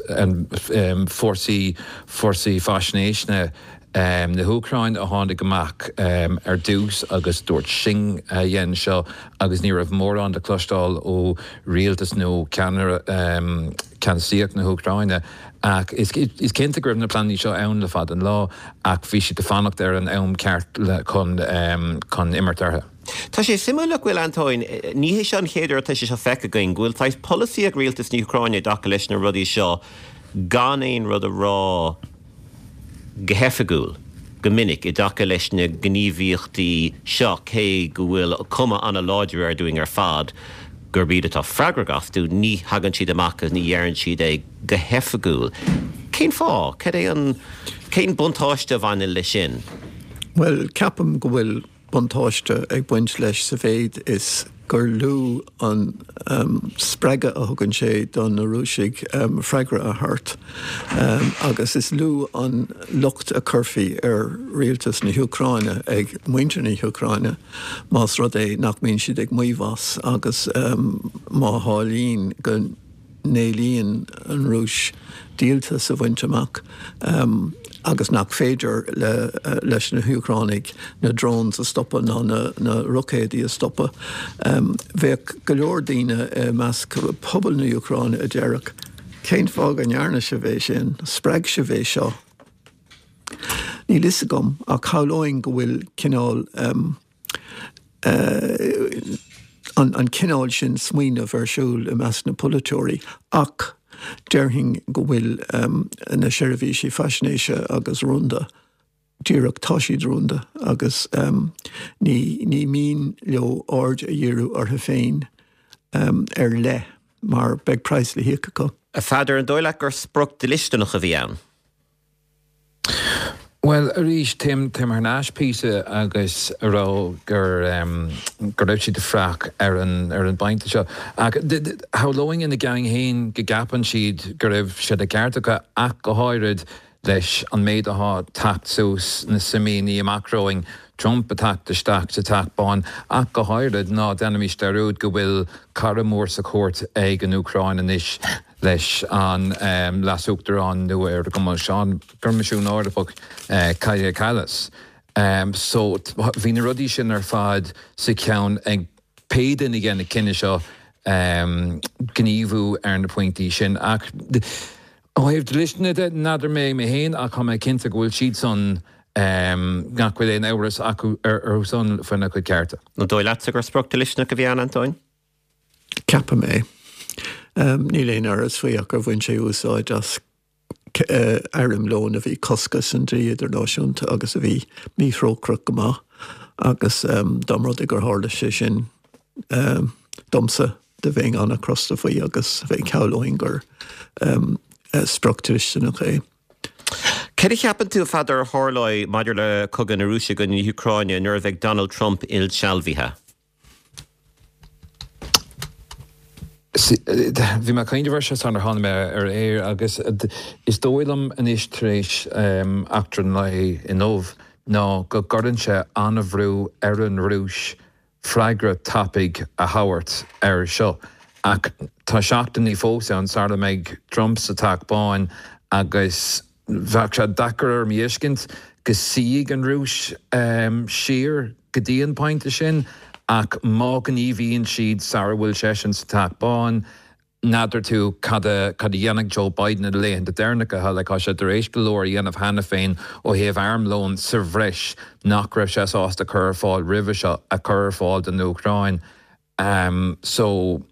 fórsaí fórsaí faisnéise na hÚcráine a tháinig amach ar dtús agus dúirt sinn a dhein seo agus ní raibh mórán le cloisteáil ó rialtas nó ceannaire ceannasaíocht na hÚcráine. Ach is cinnte go raibh na pleananna seo ann le fada an lá ach bhí siad ag fanacht ar an am ceart chun chun imirt orthu. Tá sé suimiúil nach bhfuil, Antóin, ní hé seo an chéad uair atá sé seo feicthe againn, go bhfuil saghas polasaí ag rialtas na hÚcráine i dtaca leis na rudaí seo gan aon rud a rá go hoifigiúil go minic i dtaca leis na gníomhaíochtaí seo, cé go bhfuil cuma an-láidir air dúinn ar fad gurb iad atá freagrach astu, ní thagann siad amach agus ní dheireann siad é go hoifigiúil. Cén fáth? Cad é an, cén buntáiste a bhaineann leis sin? Bhuel, ceapaim go bhfuil buntáiste ag baint leis sa mhéid is gur lú an spreagadh a thugann sé do na Rúisigh freagra a thabhairt agus is lú an locht a chuirfí ar rialtas na hÚcráine ag muintir na hÚcráine más rud é nach mbíonn siad ag maíomh as agus má tharlaíonn go n-éilíonn an Rúis díoltas a bhaint amach agus nach féidir leis na hÚcránaigh na drones a stopadh ná na roicéadaí a stopadh. Bheadh go leor daoine i measc pobal na hÚcráine a déarfadh, 'Cén fáth go ndearna sibh é sin? Spreag sibh é seo. Níl fhios agam ach shamhlóinn go bhfuil cineál an cineál sin smaoineamh ar siúl i measc na polaiteoirí ach déarfainn go bhfuil na seirbhísí faisnéise agus rúnda díreach, tá siad rúnda agus ní ní mian leo aird a dhíriú orthu féin ar leith mar beidh praghas le híoc acu. A Pheadair, an dóigh leat gur sprioc dlisteanach a bhí ann? Bhuel, arís, téim thar n-ais píosa agus a rá gur go raibh siad ag fuireach ar an ar an bpointe seo. Ach shamhlóinn ina gceann féin go gceapann siad go raibh sé de cheart acu ach go háirid leis an méid atá ag teacht suas na mí amach romhainn, Trump ag teacht isteach sa Teach Bán ach go háirid, ná déanaimis dearúd go bhfuil cara mór sa chúirt ag an Úcráin anois. leis an Leas-Uachtarán nua ar an gCoimisiún Eorpach, Kaja Kallas. So bhí na rudaí sin ar fad sa cheann ag pé duine a dhein an cinneadh seo gníomhú ar na pointí sin. Ach ó thaobh dlisteana de, n'fheadar mé mé féin ach tá mé cinnte go bhfuil siad san nach bhfuil aon amhras acu orthu san faoina gcuid cearta. An dóigh leatsa gur sprioc dlisteanach a bhí ann, Antóin? Ceapaim é. Níl aon amhras faoi ach gur bhain sé úsáid as armlón a bhí cosctha san dlí idirnáisiúnta agus a bhí míthrócaireach go maith agus dá mba rud é gur tharla sé sin domsa do bheinn an-chrosta faoi agus bheinn shamhlóinn gur sprioc dlisteanach é. Cad a cheapann tú, a Pheadair, a tharlóidh maidir le cogadh na Rúise i gcoinne na hÚcráine nuair a bheidh Donald Trump insealbhaithe? Bhí mé ag cuimhneamh air seo sular tháinig mé ar aer agus is dóigh liom anois tar éis eachtra an lae inniu ná go gcuireann sé an-bhrú ar an Rúis freagra tapaidh a thabhairt air seo. Ach tá seachtainí fós ann sara mbeidh Trump sa Teach Bán agus bheadh sé deacair orm a fheiscint go suífidh an Rúis siar go dtí an pointe sin ach má ghníomhaíonn siad sara bhfuil seisean sa Teach Bán, n'fheadar tú cad a cad a dhéanfaidh Joe Biden na laethanta deireanacha. Like tá sé tar éis go leor a dhéanamh cheana féin ó thaobh armlón sa bhreis nach raibh sé sásta cur ar fáil roimhe seo a chur ar fáil don Úcráin. So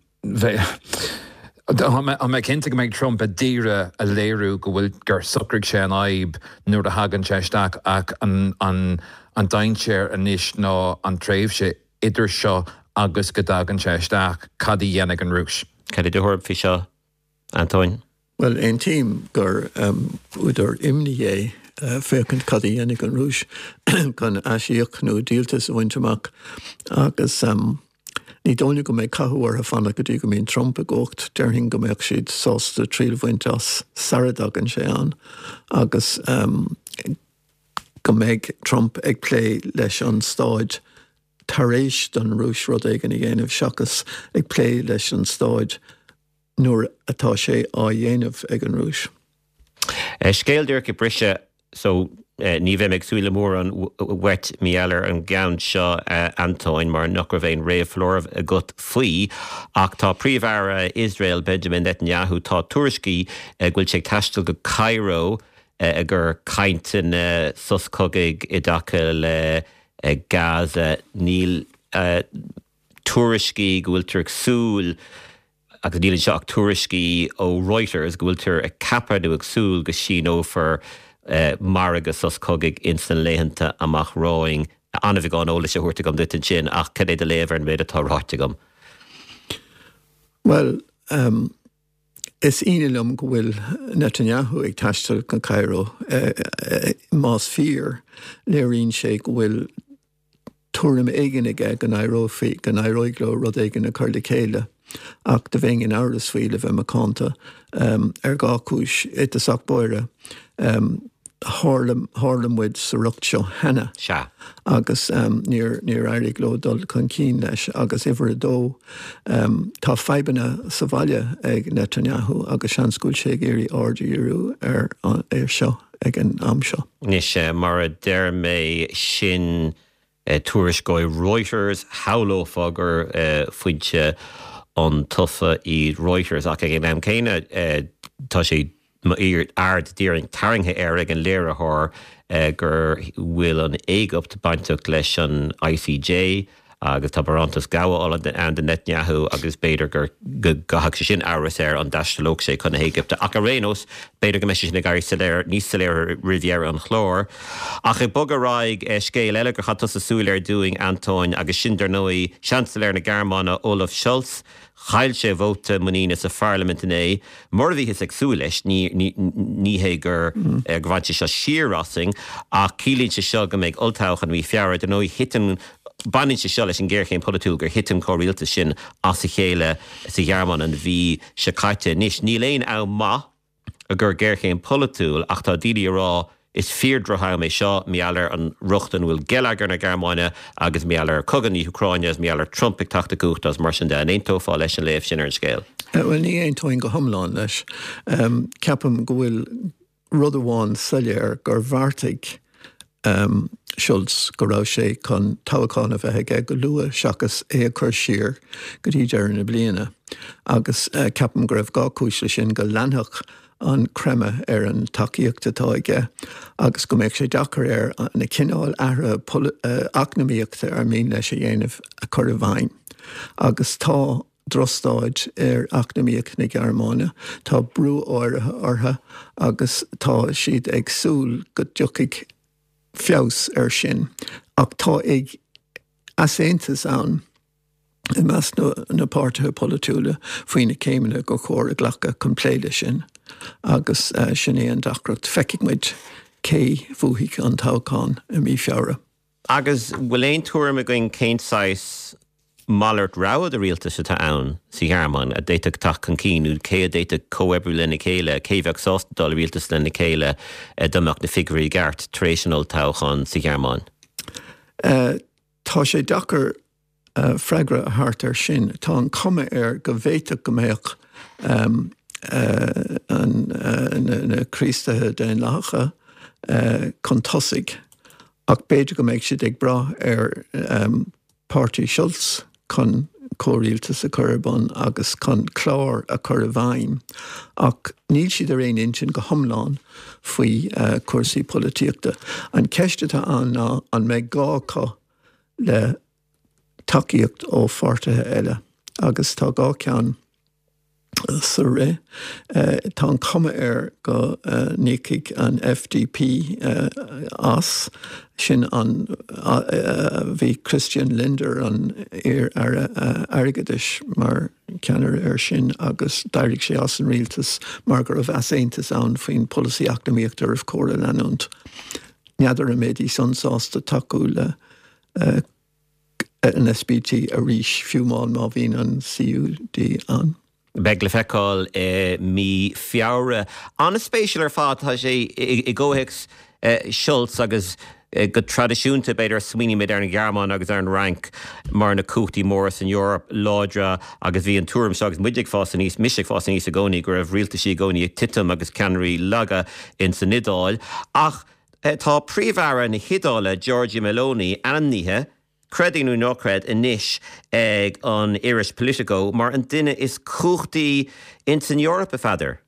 tá mé cinnte go mbeidh Trump ag iarraidh a léiriú go bhfuil gur socraigh sé an fhadhb nuair a thagann sé isteach ach an an an dainséar anois ná an tréimhse idir seo agus go dtagann sé isteach, cad a dhéanfaidh an Rúis? Cad é do thuairim faoi seo, Antóin? Bhuel, aontaím gur údar imní é féachaint cad a dhéanfaidh an Rúis chun aisíoc nó díoltas a bhaint amach agus ní dóigh liom go mbeidh cathú orthu fanacht go dtí go mbíonn Trump i gcumhacht. Déarfainn go mbeadh siad sásta triail a bhaint as sara dtagann sé ann agus go mbeidh Trump ag plé leis an staid tar éis don Rúis rud éigin a dhéanamh seachas ag plé leis an staid nuair atá sé á dhéanamh ag an Rúis. Scéal díreach ag briseadh so ní bheidh mé ag súil le mórán uait mar gheall ar an gceann seo a Antóin mar nach raibh aon réamhfholáireamh agat faoi ach tá Príomh-Aire Iosrael Benjamin Netanyahu tá tuairiscí go bhfuil sé ag taisteal go Cairo i gcomhair cainteanna sos cogaidh i dtaca le Gaza. Níl tuairiscí go bhfuiltear ag súil, agus níl anseo ach tuairiscí ó Reuters, go bhfuiltear ag ceapadh nó ag súil go síneofar margadh sos cogaidh ins na laethanta amach romhainn. An-bheagán eolais á thabhairt agam duit ansin ach cad é do léamh ar an méid atá ráite agam? Bhuel, is ionadh liom go bhfuil Netanyahu ag taisteal go Cairo. Más fíor, léiríonn sé go bhfuil tuairim éigin aige go n-éireofaí, go n-éireoidh leo rud éigin a chur le chéile. Ach do bheinn in amhras faoi, le bheith macánta, ar dhá chúis. I dtosach báire, tharla, tharla muid sa riocht seo cheana. Sea. Agus níor, níor éirigh leo dul chun cinn leis. Agus uimhir a dó, tá fadhbanna sa bhaile ag Netanyahu agus seans go bhfuil sé ag iarraidh aird a dhíriú ar, air seo ag an am seo. Anois, mar a deir mé, sin tuairisc ó Reuters, shamhlófá gur foinse iontaofa iad Reuters ach ag an am céanna tá sé m'aird tarraingthe air ag an léiritheoir go bhfuil an Éigipt bainteach leis an ICJ agus tá barántas gabhála ann do Netanyahu agus b'fhéidir gur go gcaithfeadh sé sin amhras air an dtaistealódh sé chun na hÉigipte. Ach ar aon nós, b'fhéidir go mbeidh sé sin ag éirí soiléir, níos soiléire roimh dheireadh an chláir. Ach ag bogadh ar aghaidh, scéal eile gur chaith tusa súil air dúinn, Antóin, agus sin dar ndóigh Seansailéir na Gearmáine, Olaf Scholz, Chaill sé vóta muiníne sa pharlaimint inné. Mar a bhíothas ag súil leis, ní hé gur bhain sé seo siar asainn, ach ciallaíonn sé seo go mbeidh olltoghchán i mí Feabhra. Dar ndóigh, thit an, baineann sé seo leis an ghéarchéim pholaitiúil gur thit an comhrialtas sin as a chéile sa Ghearmáin an mhí seo caite. Anois, níl aon am maith i gcomhair géarchéim pholaitiúil ach tá daoine ag rá is fíor-dhroch-am é seo mar gheall ar an riocht ina bhfuil geilleagar na Gearmáine agus mar gheall ar chogadh na hÚcráine agus mar gheall ar Trump ag teacht i gcumhacht agus mar sin de. An aontófá leis an léamh sin ar an scéal? Bhuel, ní aontóinn go hiomlán leis. Ceapaim go bhfuil rud amháin soiléir, gur bheartaigh Scholz go raibh sé chun toghchán a bheith aige go luath seachas é a chur siar go dtí deireadh na bliana agus ceapaim go raibh dhá chúis leis sin, go leanfadh an creimeadh ar an tacaíocht atá aige agus go mbeadh sé deacair air na cineál athruithe eacnamaíochta ar mian leis a dhéanamh a chur i bhfeidhm. Agus tá drochstaid ar eacnamaíocht na Gearmáine, tá brú áirithe orthu agus tá siad ag súil go dtiocfaidh feabhas air sin. Ach tá ag easaontas ann i measc na páirtithe polaitiúla faoi na céimeanna gur chóir a ghlacadh chun plé leis sin agus sin é an deacracht. Feicfidh muid cé bhuafaidh an toghchán i mí Feabhra. Agus bhfuil aon tuairim againn cén saghas malairt rogha de rialtas atá ann sa Ghearmáin a d'fhéadfadh teacht chun cinn nó cé a d'fhéadfadh comhoibriú lena chéile, cé bheadh sásta dul i rialtas lena chéile dá mbeadh na figiúirí i gceart tar éis an olltoghcháin sa Ghearmáin? Tá sé deacair freagra a thabhairt air sin. Tá an chuma air go bhféadfadh go mbeadh na Críostaithe Daonlathacha chun tosaigh ach b'fhéidir go mbeidh siad ag brath ar páirtí Scholz chun comhrialtas a chur ar bun agus chun clár a chur i bhfeidhm ach níl siad ar aon intinn go hiomlán faoi chúrsaí polaitíochta. An cheist atá ann ná an mbeidh gá acu le tacaíocht ó pháirtithe eile agus tá dhá cheann sa rith. Tá an chuma air go n-íocfaidh an FDP as, sin an bhí Christian Lindner, an iar-aire airgeadais, mar cheannaire air sin agus d'éirigh sé as an rialtas mar go raibh easaontas ann faoin pholasaí eacnamaíochta arbh chóir a leanúint. N'fheadar an mbeidís san sásta tacú le an SPD arís, fiú amháin má bhíonn an CDU ann. Beidh le feiceáil i mí Feabhra. An-spéisiúil ar fad, tá sé i gcomhthéacs Scholz agus go traidisiúnta, b'fhéidir, smaoinímid ar an Ghearmáin agus ar an Fhrainc mar na cumhachtaí móra san Eoraip, láidre agus bhí an tuairim seo agus muid ag fás aníos, mise ag fás aníos i gcónaí, go raibh rialtaisí i gcónaí ag titim agus ceannairí laga in san Iodáil. Ach tá Príomh-Aire na hIodáile, Giorgia Meloni, ainmnithe, creid é nó ná creid, anois ag an iris Politico mar an duine is cumhachtaí ins an Eoraip, a Pheadair.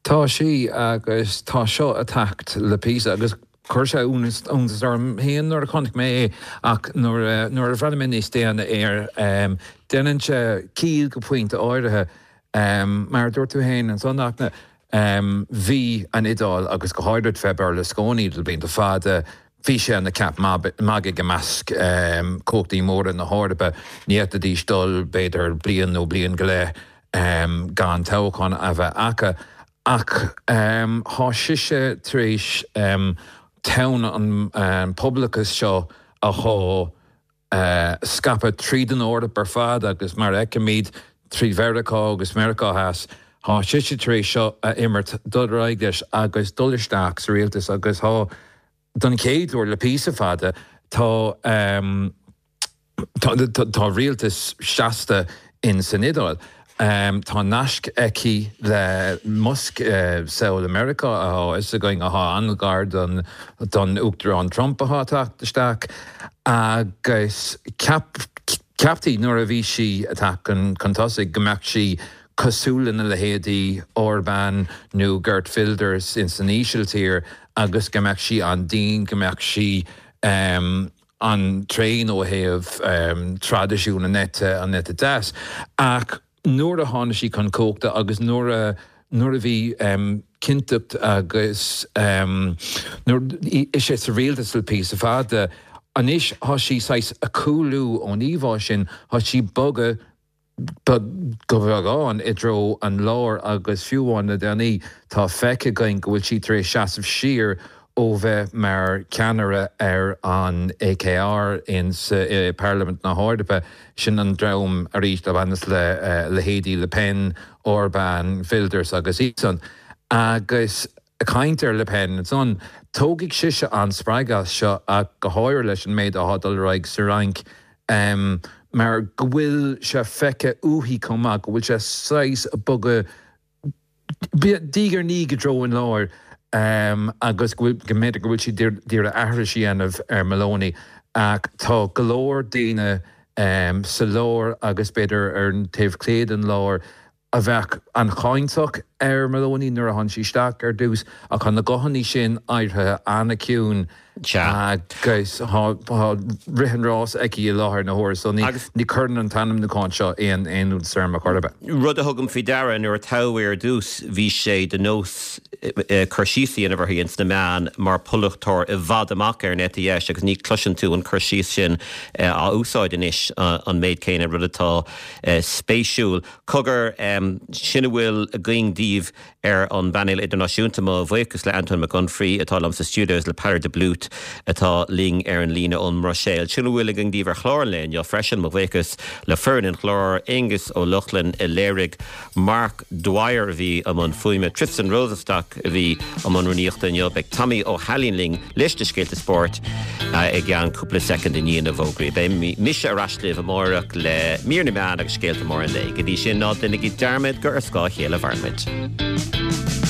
Tá sí agus tá seo ag teacht le píosa agus chuir sé iontas orm féin nuair a chonaic mé é ach nuair nuair a bhreathnaigh mé níos déine air déanann sé ciall go pointe áirithe. Mar a dúirt tú féin ansan Fhachtna, bhí an Iodáil agus go háirid fé Berlusconi le blianta fada, Bhí sé ina cheap magaidh i measc cumhachtaí móra na hEorpa. Ní fhéadfaidís dul, b'fhéidir, bliain nó bliain go leith gan toghchán a bheith acu. Ach thá sise tar éis tonn an phobalachais seo a thá scaipeadh tríd an Eoraip ar fad agus mar a fheicimid trí Mheiriceá agus Meiriceá Theas, thá sise tar éis seo a imirt, dul ar aghaidh leis agus dul isteach sa rialtas agus thá Don chéad uair le píosa fada, tá tá rialtas seasta in san Iodáil. Tá naisc aici le Musk, samhail i Meiriceá athá fhios againn athá an-ghar don don Uachtarán Trump athá ag teacht isteach agus ceap ceaptaí nuair a bhí sí ag teacht chun tosaigh go mbeadh sí cosúil lena leithéidí Orban nó Geert Wilders in san Ísiltír agus go mbeadh sí an-dian, go mbeadh sí an-tréan ó thaobh traidisiún an eite, an eite deas. Ach nuair a tháinig sí chun cumhachta agus nuair a nuair a bhí cinnteacht agus nuair ise sa rialtas le píosa fada, anois thá sí saghas ag cúlú ón íomhá sin, thá sí ag bogadh go beagán i dtreo an láir agus fiú amháin le déanaí tá feicthe againn go bhfuil sí tar éis seasamh siar ó bheith mar cheannaire ar an ECR in Parlaimint na hEorpa. Sin an dream arís a bhaineas le leithéidí Le Pen, Orban, Wilders agus iadsan. Agus ag caint ar Le Pen ansan, tógfaidh sise an-spreagadh as seo ach go háirithe leis an méid atá ag dul ar aghaidh sa Fhrainc. mar go bhfuil sé feicthe uaithi chomh maith go bhfuil sé saghas ag bogadh diaidh ar ndiaidh i dtreo an láir agus go bhfuil, go mb'fhéidir go bhfuil sí d'iarraidh aithris a dhéanamh ar Meloni ach tá go leor daoine sa lár agus b'fhéidir ar an taobh clé den lár a bheadh an-cháinteach ar Meloni nuair a tháinig sí isteach ar dtús ach tá na guthanna sin éirithe an-chiúin agus tá rith an rás aici i láthair na huaire so ní ní chuireann an t-ainmniúchán seo aon aon iontas orm ar chor ar bith. Rud a thugaim faoi deara nuair a toghadh í ar dtús bhí sé de nós cur síos a dhéanamh uirthi ins na meáin mar polaiteoir i bhfad amach ar an eite dheis agus ní chloiseann tú an cur síos sin á úsáid anois an méid céanna, rud atá spéisiúil. Cogar, sin a bhfuil againn daoibh ar an bpainéal idirnáisiúnta. Mo bhuíochas le Antóin Mac Unfraidh atá liom sa stiúideo agus le Peadar de Blút atá linn ar an líne ón mBruiséil. Sin a bhfuil againn daoibh ar chlár an lae inniu freisin. Mo bhuíochas le foireann an chláir, Aengus Ó Lochlainn a léirigh, Mark Dwyer a bhí i mbun fuaime, Tristan Rosenstock a bhí i mbun rúnaíochta inniu. Beidh Tommy Ó hAilín linn leis na scéalta spóirt i gceann cúpla soicind i ndiaidh na bhfógraí. Beidh mise ar ais libh amárach le mír na meán agus scéalta móra an lae. Go dtí sin, ná déanaigí dearmad gur ar scáth a chéile a mhaireann muid.